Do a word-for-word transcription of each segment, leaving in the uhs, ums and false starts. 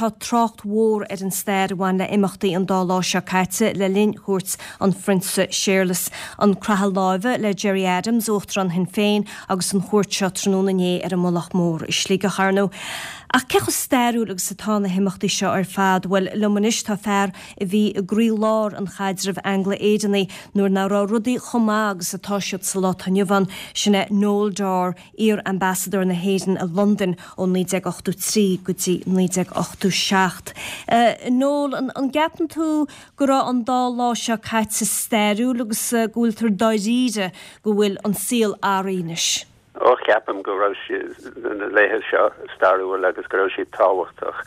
tá trácht mhór ar an stair a bhain le imeachtaí an dá lá seo caite le linn chuairt an Phrionsa Séarlas, an croitheadh láimhe le Gerry Adams, Uachtarán Shinn Féin agus an chuairt seo tráthnóna inné ar an Mullach Mór i Sligeach ar ndóigh. Ach cé chomh stairiúil agus atá na himeachtaí seo ar fad, bhuel liom anois tá fear a bhí i gcroílár an chaidrimh Angla-Éireannaigh nuair nach raibh rudaí chomh maith agus atá siad sa lá atá inniu ann, sin é Noel Dorr, iar-ambasadóir na hÉireann i Londain ó naoi déag ochtó trí go dtí naoi déag ochtó seacht. Noel, an gceapann tú go raibh an dá lá seo caite stairiúil agus go bhfuiltear dáiríre go bhfuil an saol athraithe anois? Ó ceapaim go raibh na laethe seo stairiúil agus go raibh siad tábhachtach.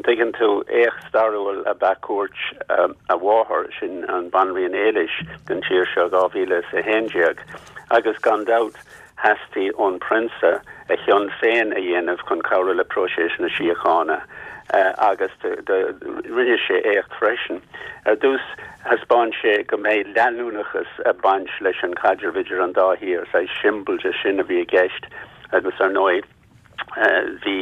Tuigeann tú éacht stairiúil ab ea cuairt a mháthar sin an Bhanríon Éilis den tír seo dhá mhíle is a haon déag agus gan dabht theastaigh ón bprionsa a chion féin a dhéanamh chun cabhrú le próiseas na síochána agus rinne sé éacht freisin. Ar dtús thaispeáin sé go mbeidh leanúnachas ag baint leis an chaidreamh idir an dá thír, saghas siombail de sin a bhí i gceist agus ar ndóigh bhí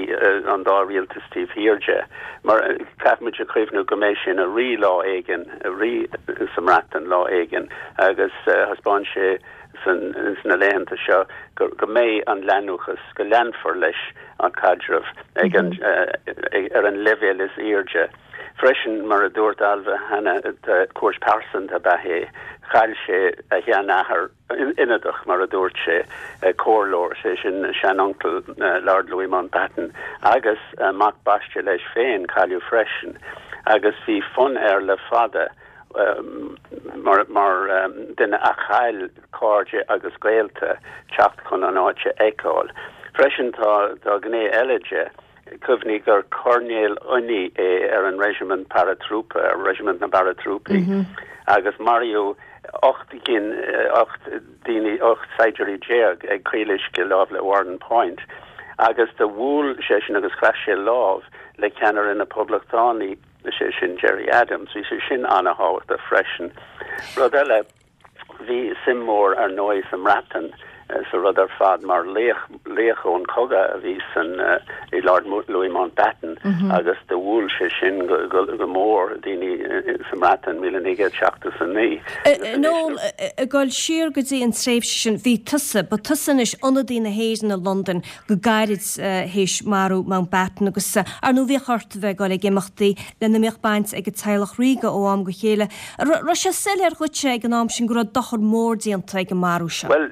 an dá rialtas taobh thiar de. Mar caithfimid a chuimhniú go mbeidh sé ina rí lá éigin, rí sa mBreatain lá éigin agus thaispeáin sé sna laethanta seo go go mbeidh an leanúchas, go leanfar leis an caidreamh ag an ar an leibhéal is airde. Freisin mar a dúirt Ailbhe cheana cuairt pearsanta ab ea é, chaill sé a sheanathair ionadach mar a dúirt sé comhairleoir sé sin seanuncail Lord Louis Mountbatten agus mac baiste leis féin cailleadh freisin agus bhí fonn air le fada mar mar duine a chaill cairde agus gaolta teacht chun an áit a fheiceáil. Freisin tá tá gné eile de cuimhnigh gur coirnéal oinigh é ar an reisimint paratrúpa ar reisimint na bparatrúpaí mm -hmm. agus maraíodh ocht gcinn ocht daoine ocht saighdiúirí déag ag Caol Uisce láimh le Warden Point agus do bhuail sé sin agus chroith sé lámh le ceannaire na poblachtánaí sé sin Gerry Adams, bhí sé sin an-tábhachtach freisin. Rud eile bhí suim mór ar ndóigh sa mBreatain sa rud ar fad mar laoch laoch ón cogadh a bhí san uh, i Lord Louis Mountbatten mm -hmm. agus do bhuail sé sin go, go, go mór daoine sa mBreatain míle naoi gcéad seachtó a naoi. Nó ag dul siar go dtí an tréimhse sin bhí tusa, ba tusa anois ionadaí na hÉireann i Londain go gairid théis marú Mountbatten agus ar ndóigh bhíodh ort bheith ag dul ag imeachtaí lena mbíodh baint ag an teaghlach ríoga ó am go chéile. Raibh sé soiléir dhuit ag an am sin go raibh dochar mór déanta ag an marú seo. Well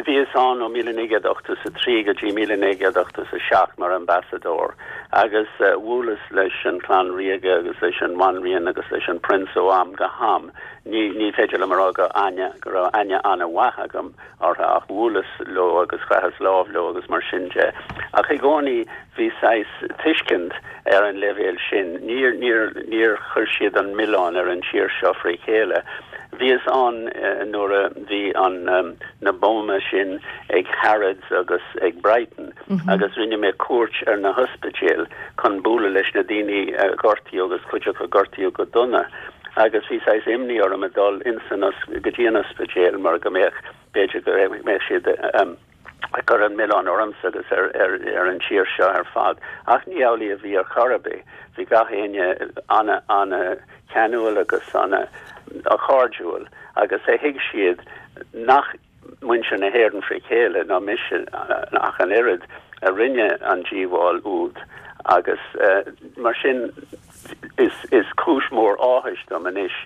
bhíos ann ó míle naoi gcéad ochtó a trí go dtí míle naoi gcéad ochtó a seacht mar ambasadóir agus uh, bhuaileas leis an chlann ríoga agus leis an bhanríon agus leis an prionsa ó am go ham. Ní ní féidir liom a rá go aine go raibh aithne an-mhaith agam orthu ach bhuaileas leo agus chroitheas lámh leo agus mar sin de. Ach i gcónaí bhí saghas tuiscint ar an leibhéal sin, níor níor níor chuir siad an milleán ar an tír seo fré chéile. Bhíos ann uh, nuair a bhí an um, na buamaí sin ag Harrods agus ag Brighton mm -hmm. agus rinne mé cuairt ar na hospidéil chun bualadh leis na daoine uh, gortaithe agus cuid acu gortaithe go dona. agus bhí saghas imní orm a dul insan go dtí an ospidéal mar go mbeadh b'fhéidir go mbeadh siad um, cur an milleán ormsa agus ar, ar, ar an tír seo ar fad. Ach ní amhlaidh a bhí ar chor ar bith, bhí gach éinne ana ana ceanúil agus ana a chairdiúil agus é thuig siad nach muintir na hÉireann fré chéile ná mise ach an oiread a rinne an díobháil úd agus uh, mar sin is, is cúis mór áthais dom anois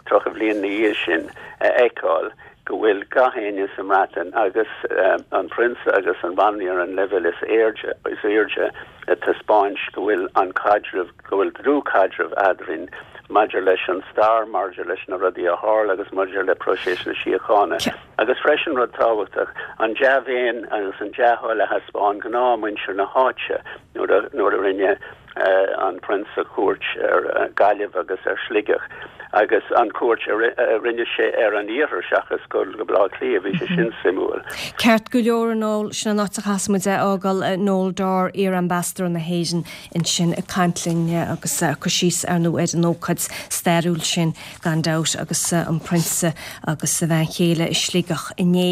tríocha bliain ina dhiaidh sin a fheiceáil go bhfuil gach éinne sa mBreatain agus uh, an prionsa agus an bhanríon ar an leibhéal is airde is airde ag taispeáint go bhfuil an caidreamh go bhfuil dlúthchaidreamh eadrainn maidir leis an stair maidir leis na rudaí a tharla agus maidir le próiseas na síochána. Agus freisin rud tábhachtach an dea-mhéin agus an dea-thoil a thaispeáin gnáthmhuintir na háite nuair a rinne uh, an prionsa cuairt ar uh, Gaillimh agus ar Sligeach agus an cuairt a rinne sé ar an iarthar seachas go go Baile Átha Cliath bhí sé sin suimiúil. Ceart go leor Noel sin an áit a chaithfimid é a fhágáil Noel Dorr iar-ambasadóir na hÉireann ansin ag caint linn agus cur síos ar ndóigh ar an ócáid stairiúil sin gan dabht agus an prionsa agus a bhean chéile i Sligeach inné.